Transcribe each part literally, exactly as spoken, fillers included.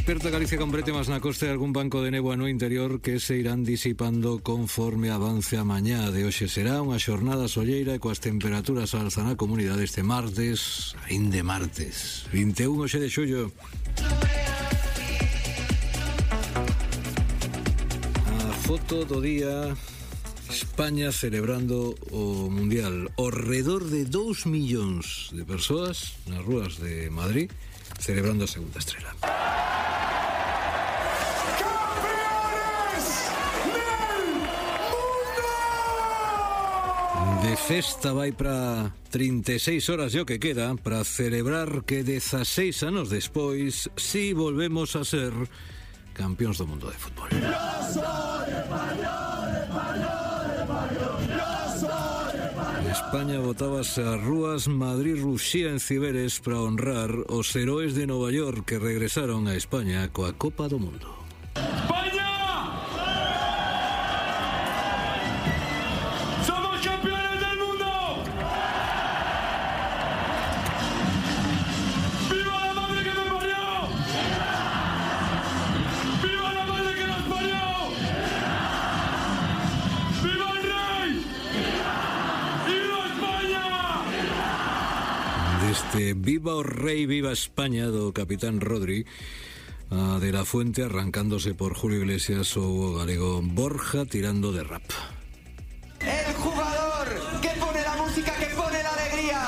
Desperta Galicia con brétemas na costa e algún banco de néboa no interior que se irán disipando conforme avance a mañá de hoxe. Será unha xornada solleira e coas temperaturas alza na comunidade este martes, aínde martes, vinte e un hoxe de xullo. A foto do día: España celebrando o Mundial. Ao redor de dous millóns de persoas nas rúas de Madrid celebrando a segunda estrela. De festa vai para trinta e seis horas e o que queda para celebrar que dezaseis anos despois si volvemos a ser campións do mundo de fútbol. España botábase ás rúas, Madrid ruxía en Ciberes para honrar os heróis de Nova York que regresaron a España coa Copa do Mundo. Este Viva o Rei, Viva España do capitán Rodri, a de la Fuente arrancándose por Julio Iglesias ou o galego Borja tirando de rap. El jugador que pone la música, que pone la alegría,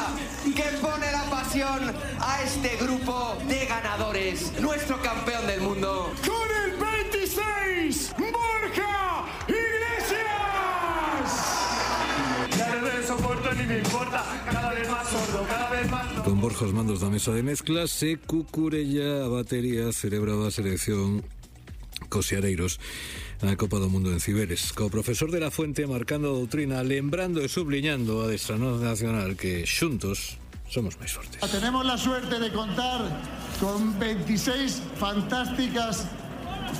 que pone la pasión a este grupo de ganadores, nuestro campeón del mundo. Con el veintiséis, Borja Iglesias. Ya no me soporto ni me importa, cada vez más sordo, cada vez más. Con Borja os mandos da mesa de mezclas e Cucurella a batería celebraba a selección cos xareiros a Copa do Mundo en Ciberes. Co profesor de la Fuente marcando a doutrina, lembrando e subliñando a adestrador nacional que xuntos somos máis fortes. Tenemos la suerte de contar con veintiséis fantásticas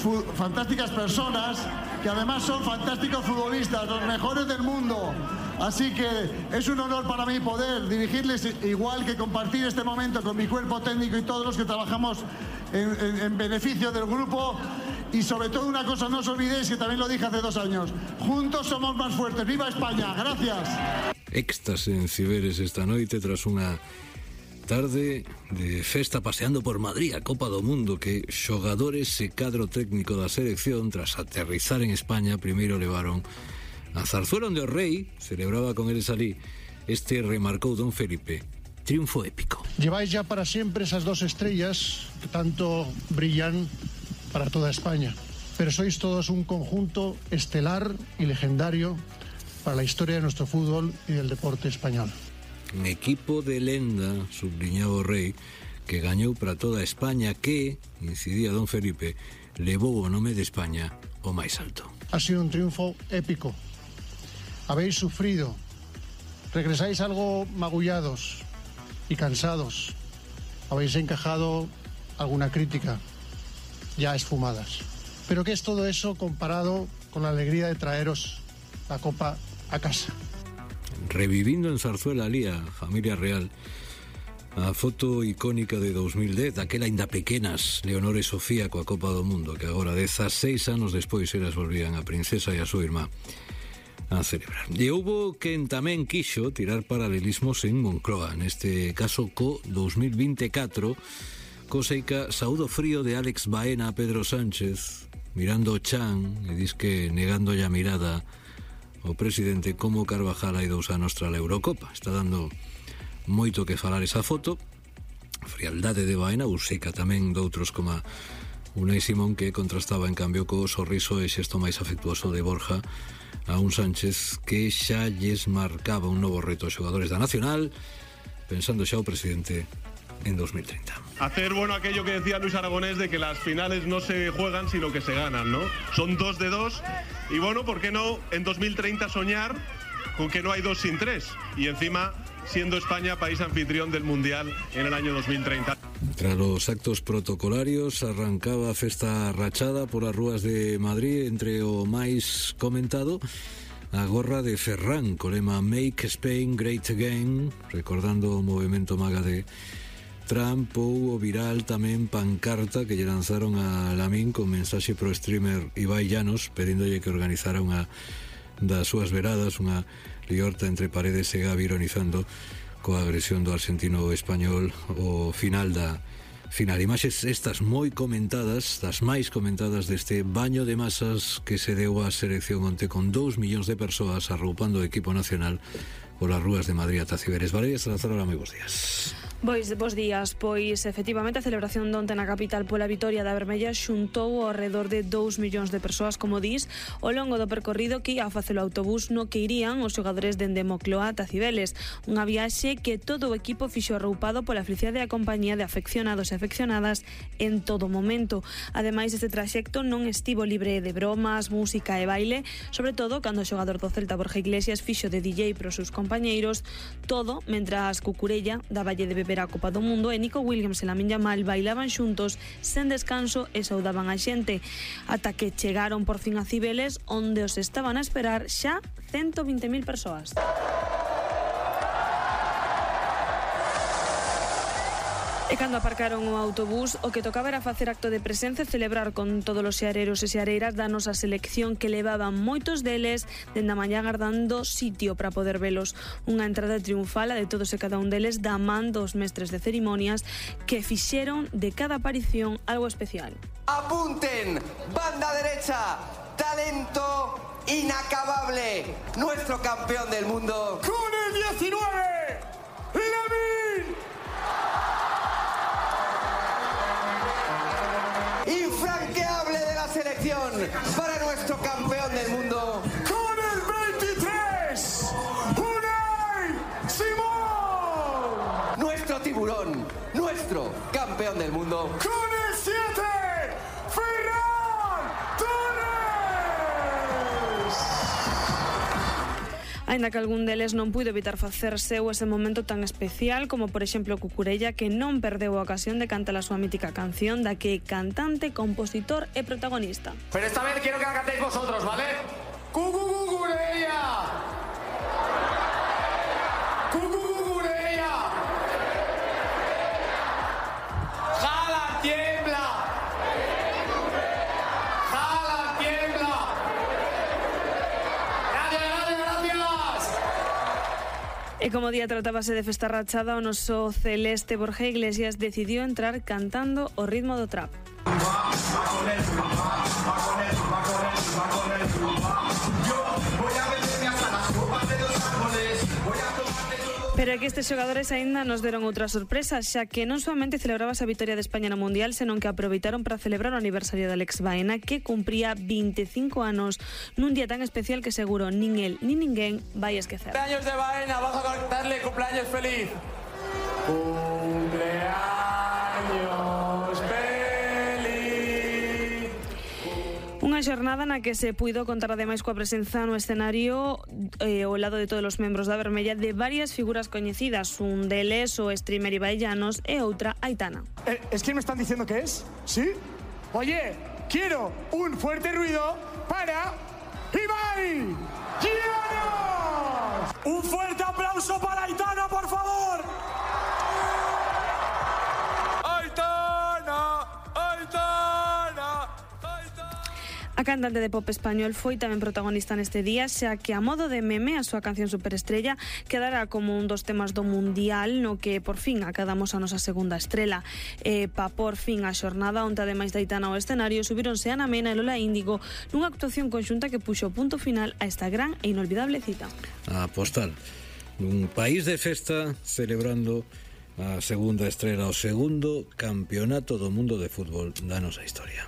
fu- fantásticas personas que además son fantásticos futbolistas, los mejores del mundo. Así que es un honor para mí poder dirigirles, igual que compartir este momento con mi cuerpo técnico y todos los que trabajamos en, en, en beneficio del grupo. Y sobre todo una cosa, no os olvidéis que también lo dije hace dos años, juntos somos más fuertes. ¡Viva España! ¡Gracias! Éxtasis en Ciberes esta noite tras unha tarde de festa paseando por Madrid a Copa do Mundo que xogadores e cadro técnico da selección tras aterrizar en España primeiro levaron a Zarzuela onde o rei celebraba con eles alí. Este remarcou don Felipe: triunfo épico. Lleváis ya para siempre esas dos estrellas que tanto brillan para toda España, pero sois todos un conjunto estelar y legendario para la historia de nuestro fútbol y del deporte español. Un equipo de lenda, subliñaba o rei, que gañou para toda España, que, incidía don Felipe, levou o nome de España o máis alto. Ha sido un triunfo épico. Habéis sufrido, regresáis algo magullados y cansados. Habéis encajado alguna crítica, ya esfumadas. Pero ¿qué es todo eso comparado con la alegría de traeros la copa a casa? Revivindo en Zarzuela alí a familia real, a foto icónica de dos mil dez, aquela ainda pequenas Leonor e Sofía coa Copa do Mundo, que agora dezaseis anos despois elas volvían a princesa e a súa irmá a celebrar. E houbo quen tamén quixo tirar paralelismos en Moncloa, neste caso co dos mil vinte e catro, coseica saúdo frío de Alex Baena a Pedro Sánchez, mirando o chan e dis que negándolle a mirada o presidente como Carvajal hai dous anos tras a Eurocopa. Está dando moito que falar esa foto. Frialdade de Baena, ou seca tamén doutros como Unai Simón, que contrastaba en cambio co sorriso e xesto máis afectuoso de Borja a un Sánchez que xa lles marcaba un novo reto aos xogadores da Nacional, pensando xa o presidente en dos mil treinta. Hacer bueno aquello que decía Luis Aragonés de que las finales no se juegan sino que se ganan, ¿no? Son dos de dos y bueno, ¿por qué no en dos mil treinta soñar con que no hay dos sin tres? Y encima siendo España país anfitrión del Mundial en el año dos mil treinta. Tras los actos protocolarios arrancaba a festa rachada polas rúas de Madrid, entre o máis comentado a gorra de Ferran co lema Make Spain Great Again, recordando o movimento maga de Trump houbo viral tamén pancarta que lle lanzaron a Lamín con mensaxe pro streamer Ibai Llanos pedíndolle que organizara unha das súas veradas, unha liorta entre Paredes e Gavi, ironizando coa agresión do argentino español o final da final. Imaxes estas moi comentadas, das máis comentadas deste baño de masas que se deu á selección onte con dous millóns de persoas arroupando o equipo nacional polas rúas de Madrid ata Ciberes. Valeria Salazar, hola, moi bons días. Pois, bos días, pois efectivamente a celebración de onte na capital pola vitoria da Vermella xuntou ao redor de dous millóns de persoas, como dis, ao longo do percorrido que ia a facer o autobús no que irían os xogadores dende Mocloa ata Cibeles, unha viaxe que todo o equipo fixo arroupado pola felicidade e a compañía de afeccionados e afeccionadas en todo momento. Ademais, este traxecto non estivo libre de bromas, música e baile, sobre todo cando o xogador do Celta Borja Iglesias fixo de D J pros seus compañeiros, todo mentras Cucurella daballe de beber a Copa do Mundo e Nico Williams e Lamine Yamal bailaban xuntos sen descanso e saudaban a xente, ata que chegaron por fin a Cibeles, onde os estaban a esperar xa ciento vinte mil persoas. E cando aparcaron o autobús, o que tocaba era facer acto de presenza e celebrar con todos os xeareros e xeareiras da nosa selección, que levaban moitos deles dende a mañá agardando sitio para poder velos. Unha entrada triunfal a de todos e cada un deles da man dos mestres de cerimonias que fixeron de cada aparición algo especial. Apunten, banda derecha, talento inacabable, nuestro campeón del mundo. Con el diecinueve, Lamine. Infranqueable de la selección para nuestro campeón del mundo. Con el veintitrés, Unai Simón. Nuestro tiburón, nuestro campeón del mundo. Con el siete, Ferran Torres. Aínda que algún deles non puido evitar facer seu ese momento tan especial, como por exemplo Cucurella, que non perdeu a ocasión de cantar a súa mítica canción da que cantante, compositor e protagonista. Pero esta vez quiero que la cantéis vosotros, ¿vale? Cucurella. Cucurella. Jala, tiembla. Jala, tiembla. Gracias, gracias, gracias. E como día tratábase de festa rachada, o noso celeste Borja Iglesias decidiu entrar cantando o ritmo do trap. Pero é que estes xogadores aínda nos deron outra sorpresa, xa que non soamente celebrabas a vitoria de España no Mundial, senón que aproveitaron para celebrar o aniversario de Alex Baena, que cumpría vinte e cinco anos nun día tan especial que seguro nin el nin ninguén vai esquecer. Cumpleaños de Baena, vamos a cantarle cumpleaños feliz. Cumpleaños feliz. Unha xornada na que se puido contar ademais coa presenza no escenario eh, ao lado de todos os membros da Vermella de varias figuras coñecidas, un deles o streamer Ibai Llanos e outra Aitana. Eh, ¿Es quién me están diciendo que es? ¿Sí? Oye, quiero un fuerte ruido para Ibai Llanos. Un fuerte aplauso para Aitana, por favor. Aitana, Aitana. A cantante de pop español foi tamén protagonista neste día, xa que a modo de meme a súa canción Superestrella quedará como un dos temas do Mundial, no que por fin acadamos a nosa segunda estrela. E pa por fin a xornada, onde ademais de Aitana ao escenario, subíronse Ana Mena e Lola Índigo nunha actuación conxunta que puxo punto final a esta gran e inolvidable cita. A postal nun país de festa celebrando a segunda estrela, o segundo campeonato do mundo de fútbol da nosa historia.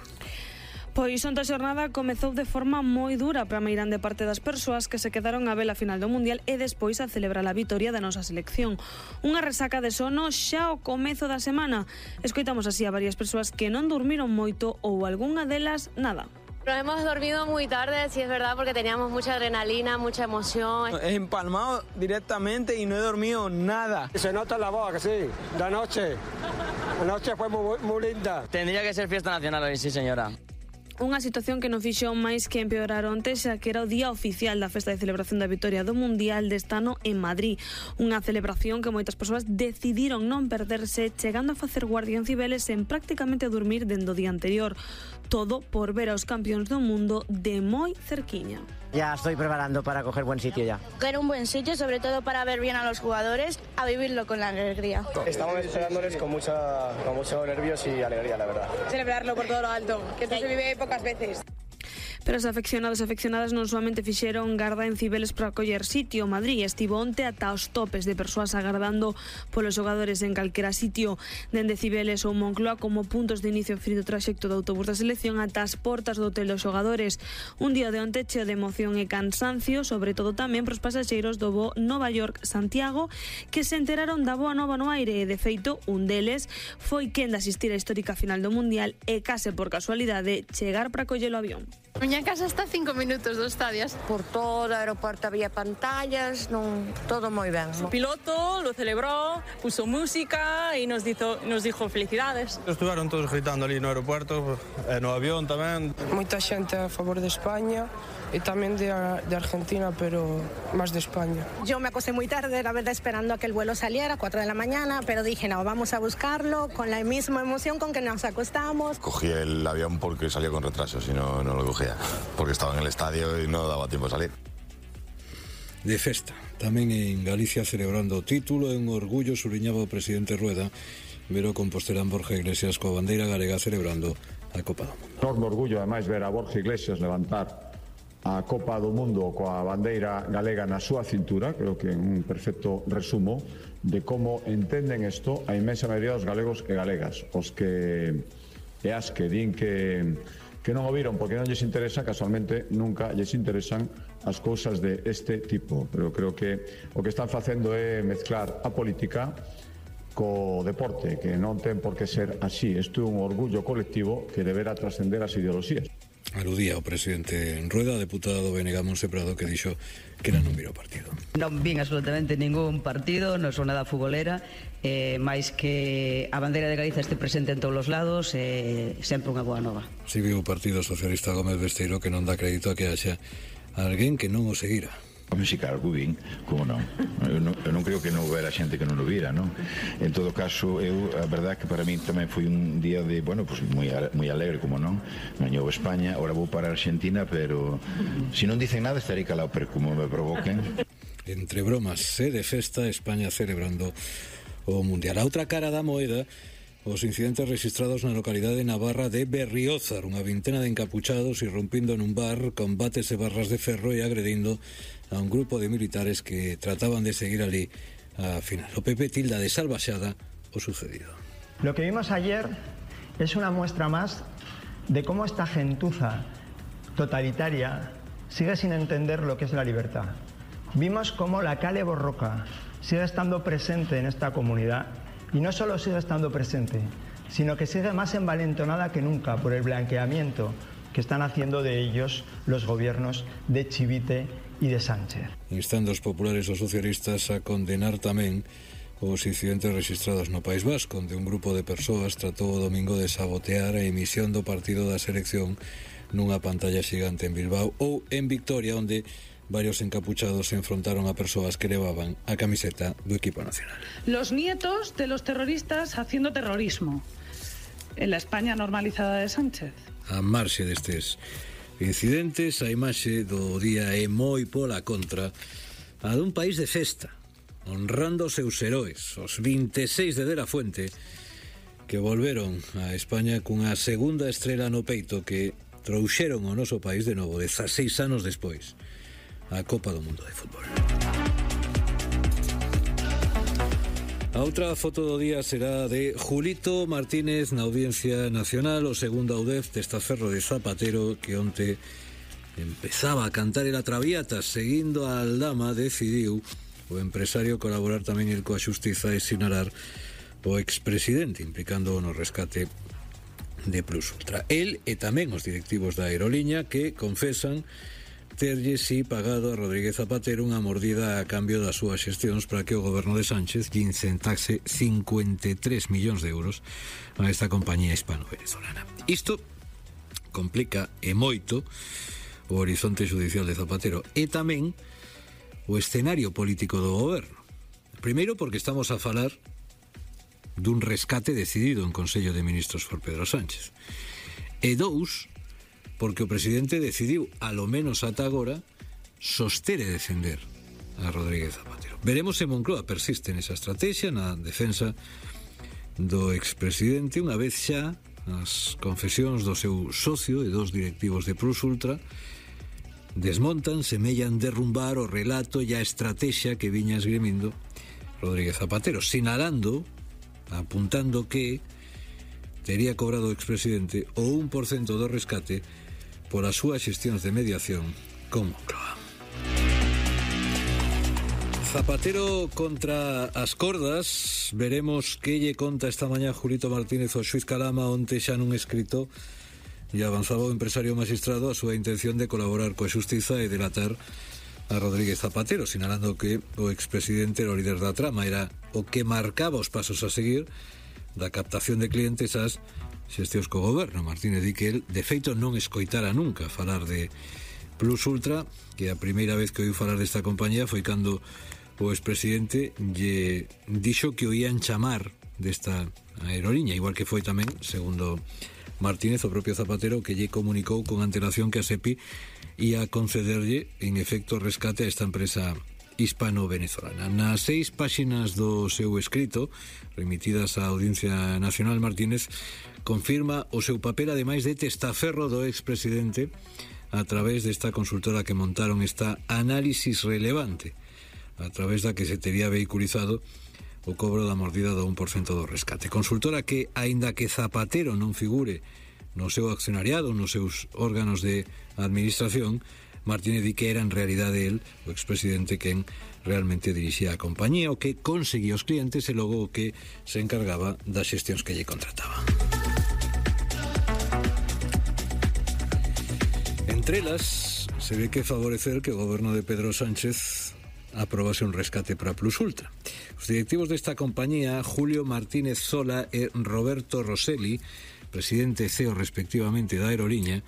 Pois onte a xornada comezou de forma moi dura para meirande parte das persoas que se quedaron a ver a final do Mundial e despois a celebrar a vitoria da nosa selección. Unha resaca de sono xa ao comezo da semana. Escoitamos así a varias persoas que non durmiron moito ou algunha delas nada. Nos hemos dormido muy tarde, sí es verdad, porque teníamos mucha adrenalina, mucha emoción. He empalmado directamente y no he dormido nada. Se nota en la voz, que sí, la noche. La noche fue muy, muy linda. Tendría que ser fiesta nacional hoy, sí señora. Unha situación que non fixo máis que empeorar onte, xa que era o día oficial da festa de celebración da vitoria do Mundial deste ano en Madrid. Unha celebración que moitas persoas decidiron non perderse, chegando a facer guardia en Cibeles en prácticamente dormir dende o día anterior. Todo por ver aos campións do mundo de moi cerquiña. Ya estoy preparando para coger buen sitio ya. Coger un buen sitio, sobre todo para ver bien a los jugadores, a vivirlo con la alegría. Estamos esperándoles con, mucha, con muchos nervios y alegría, la verdad. Celebrarlo por todo lo alto, que esto se vive pocas veces. Pero os afeccionados e afeccionadas non solamente fixeron garda en Cibeles para coller sitio. Madrid estivo onte ata os topes de persoas agardando polos xogadores en calquera sitio, dende Cibeles ou Moncloa como puntos de inicio frío traxecto do autobús da selección ata as portas do hotel dos xogadores. Un día de onte cheo de emoción e cansancio, sobre todo tamén para os pasaxeiros do voo Nova York-Santiago, que se enteraron da boa nova no aire e, de feito, un deles foi quen de asistir á histórica final do Mundial e, case por casualidade, chegar para coller o avión. Miña casa está a cinco minutos do estadio. Por todo o aeroporto había pantallas, non, todo moi ben. O piloto lo celebró, puso música e nos dijo, nos dijo felicidades. Estuveron todos gritando ali no aeroporto, e no avión tamén. Moita xente a favor de España e tamén de, de Argentina, pero máis de España. Yo me acosté muy tarde, la verdad, esperando a que el vuelo saliera, cuatro de la mañana, pero dije, no, vamos a buscarlo con la misma emoción con que nos acostamos. Cogí el avión porque salió con retraso, si no, no lo cogía, porque estaba en el estadio y no daba tiempo a salir. De festa, tamén en Galicia celebrando o título, en orgullo subliñaba o presidente Rueda, ver o compostelán Borja Iglesias coa bandeira galega celebrando a Copa do Mundo. Enorme orgullo, ademais, ver a Borja Iglesias levantar a Copa do Mundo coa bandeira galega na súa cintura. Creo que é un perfecto resumo de como entenden isto a inmensa maioría dos galegos e galegas, os que e as que din que que non o viron porque non lles interesa, casualmente nunca lles interesan as cousas de este tipo, pero creo que o que están facendo é mezclar a política co deporte, que non ten por que ser así. Isto é un orgullo colectivo que deberá trascender as ideoloxías. Aludía o presidente en Rueda, deputado do B N G Monse Prado, que dixo que era non vir o partido. Non vin absolutamente ningún partido, non son nada futbolera, eh, máis que a bandeira de Galiza este presente en todos os lados, eh, sempre unha boa nova. Si viu o Partido Socialista Gómez Besteiro que non dá crédito a que haxa alguén que non o seguira. A música algo vin, como non? Eu non, eu non creo que non houbera xente que non o vira, non? En todo caso, eu, a verdade que para mí tamén foi un día de, bueno, pues moi, moi alegre, como non? Gañou España, ahora vou para Argentina, pero se si non dicen nada estarei calado, pero como me provoquen. Entre bromas e de festa, España celebrando o Mundial. A outra cara da moeda, os incidentes registrados na localidade navarra de Berriozar, unha vintena de encapuchados irrompindo nun bar con bates e barras de ferro e agredindo a un grupo de militares que trataban de seguir ali a final. O P P tilda de salvaxada o sucedido. Lo que vimos ayer es una muestra más de cómo esta gentuza totalitaria sigue sin entender lo que es la libertad. Vimos cómo la Kale Borroka sigue estando presente en esta comunidad. Y no solo sigue estando presente, sino que sigue más envalentonada que nunca por el blanqueamiento que están haciendo de ellos los gobiernos de Chivite y de Sánchez. Instando os populares os socialistas a condenar tamén os incidentes registrados no País Vasco, onde un grupo de persoas tratou o domingo de sabotear a emisión do partido da selección nunha pantalla xigante en Bilbao, ou en Victoria, onde varios encapuchados se enfrontaron a persoas que levaban a camiseta do equipo nacional. Los nietos de los terroristas haciendo terrorismo en la España normalizada de Sánchez. A marxe destes incidentes, a imaxe do día é moi pola contra a dun país de festa, honrando os seus heróis, os vinte e seis de De la Fuente, que volveron a España cunha segunda estrela no peito que trouxeron ao noso país de novo dezaseis anos despois a Copa do Mundo de Fútbol. A outra foto do día será de Julito Martínez na Audiencia Nacional, o segundo audez desta ferro de Zapatero, que onte empezaba a cantar el Traviata. Seguindo a Aldama, decidiu o empresario colaborar tamén el coa xustiza e sinalar o expresidente, implicando no rescate de Plus Ultra. El e tamén os directivos da aeroliña que confesan terlle si pagado a Rodríguez Zapatero unha mordida a cambio das súas xestións para que o goberno de Sánchez lle incentase cincuenta e tres millóns de euros a esta compañía hispano-venezolana. Isto complica e moito o horizonte judicial de Zapatero e tamén o escenario político do goberno. Primeiro porque estamos a falar dun rescate decidido en Consello de Ministros por Pedro Sánchez. E dous, porque o presidente decidiu, alo menos ata agora, soster e defender a Rodríguez Zapatero. Veremos se Moncloa persiste nesa estrategia, na defensa do expresidente, unha vez xa as confesións do seu socio e dos directivos de Plus Ultra desmontan, semellan derrumbar o relato e a estrategia que viña esgrimindo Rodríguez Zapatero, sinalando, apuntando que tería cobrado o expresidente o un por cento do rescate por as súas xestións de mediación con Moncloa. Zapatero contra as cordas. Veremos que lle conta esta mañá Julito Martínez o xuiz Calama onte xa nun escrito e avanzaba o empresario magistrado a súa intención de colaborar coa xustiza e delatar a Rodríguez Zapatero, sinalando que o expresidente era o líder da trama, era o que marcaba os pasos a seguir da captación de clientes ás xestións co goberno. Martínez di que el, de feito, non escoitara nunca falar de Plus Ultra, que a primeira vez que oiu falar desta compañía foi cando o expresidente lle dixo que o ian chamar desta aeroliña, igual que foi tamén, segundo Martínez, o propio Zapatero, que lle comunicou con antelación que a SEPI ia concederlle, en efecto, rescate a esta empresa hispano-venezolana. Nas seis páxinas do seu escrito, remitidas á Audiencia Nacional, Martínez confirma o seu papel, ademais de testaferro do expresidente, a través desta consultora que montaron esta análisis relevante, a través da que se tería vehiculizado o cobro da mordida do un por cento do rescate. Consultora que, aínda que Zapatero non figure no seu accionariado, nos seus órganos de administración, Martínez di que era en realidade el, o expresidente, quen realmente dirixía a compañía, o que conseguía os clientes e logo o que se encargaba das xestións que lle contrataban. Entre elas, se ve que favorecer que o goberno de Pedro Sánchez aprobase un rescate para Plus Ultra. Os directivos desta compañía, Julio Martínez Sola e Roberto Rosselli, presidente e C E O respectivamente da aeroliña,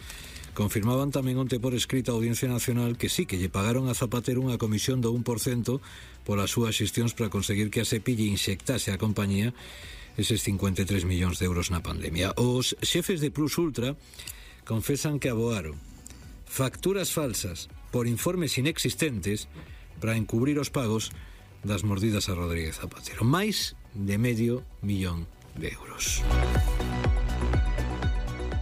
confirmaban tamén onte por escrito a Audiencia Nacional que sí, que lle pagaron a Zapatero unha comisión do un por cento polas súas xestións para conseguir que a SEPI lle inxectase a compañía eses cincuenta e tres millóns de euros na pandemia. Os xefes de Plus Ultra confesan que aboaron facturas falsas por informes inexistentes para encubrir os pagos das mordidas a Rodríguez Zapatero. Máis de medio millón de euros.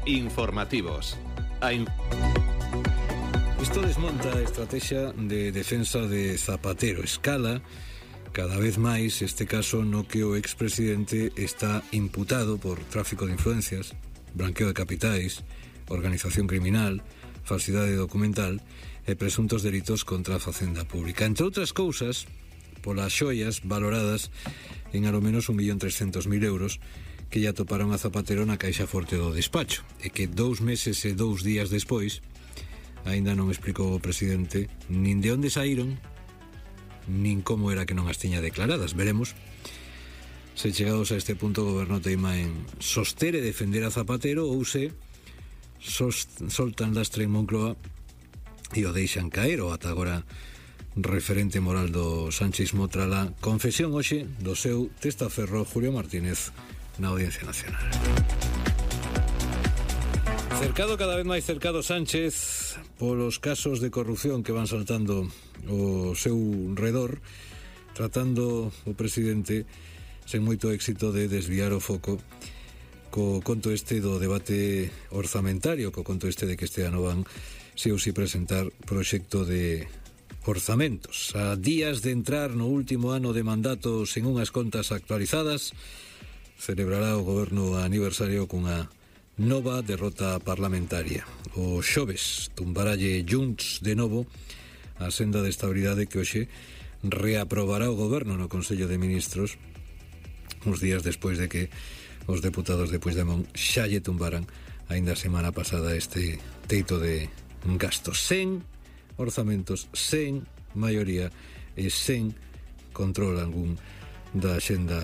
Informativos. A in... Isto desmonta a estrategia de defensa de Zapatero. Escala cada vez máis este caso no que o expresidente está imputado por tráfico de influencias, blanqueo de capitais, organización criminal, falsidade documental e presuntos delitos contra a facenda pública. Entre outras cousas, polas xoias valoradas en alo menos un millón trescentos mil euros que lle atoparon a Zapatero na caixa forte do despacho, e que dous meses e dous días despois aínda non explicou o presidente nin de onde saíron nin como era que non as tiña declaradas. Veremos se chegados a este punto o goberno teima en soster e defender a Zapatero ou se soltan lastre en Moncloa e o deixan caer. O ata agora referente moral do sanchismo tras a confesión hoxe do seu testaferro Julio Martínez na Audiencia Nacional. Cercado, cada vez máis cercado Sánchez polos casos de corrupción que van saltando o seu redor, tratando o presidente sen moito éxito de desviar o foco co conto este do debate orzamentario, co conto este de que este ano van se ou si presentar proxecto de orzamentos. A días de entrar no último ano de mandato sen unhas contas actualizadas, celebrará o goberno aniversario cunha nova derrota parlamentaria. O xoves tumbaralle Junts de novo a senda de estabilidade que hoxe reaprobará o goberno no Consello de Ministros uns días despois de que os deputados de Puigdemont xa lle tumbaran aínda a semana pasada este teito de gastos. Sen orzamentos, sen maioría e sen control algún da axenda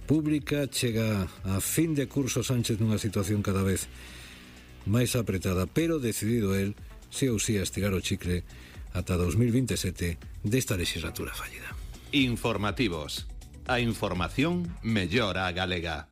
pública, chega a fin de curso Sánchez nunha situación cada vez máis apretada, pero decidido el, si ou si, a estirar o chicle ata dos mil veintisiete desta legislatura fallida. Informativos. A información mellora a galega.